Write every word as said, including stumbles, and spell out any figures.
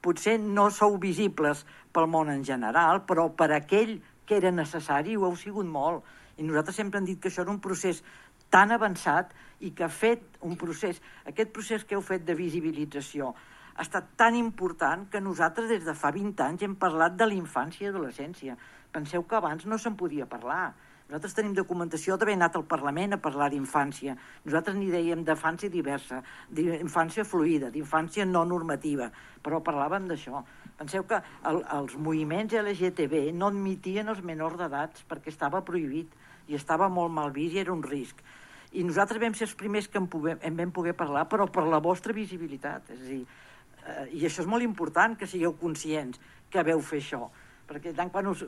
potser no sou visibles pel món en general, però per aquell que era necessari ho heu sigut molt. I nosaltres sempre hem dit que això era un procés tan avançat i que ha fet un procés, aquest procés que heu fet de visibilització ha estat tan important que nosaltres des de fa vint anys hem parlat de la infància i adolescència. Penseu que abans no se'n podia parlar. Nosaltres tenim documentació d'haver anat al Parlament a parlar d'infància. Nosaltres n'hi dèiem d'infància diversa, d'infància fluida, d'infància no normativa, però parlàvem d'això. Penseu que el, els moviments L G T B no admitien els menors d'edats perquè estava prohibit i estava molt mal vist i era un risc. I nosaltres vam ser els primers que en, puguem, en vam poder parlar, però per la vostra visibilitat. És a dir, eh, i això és molt important, que sigueu conscients que veu fer això. Perquè tant quan us,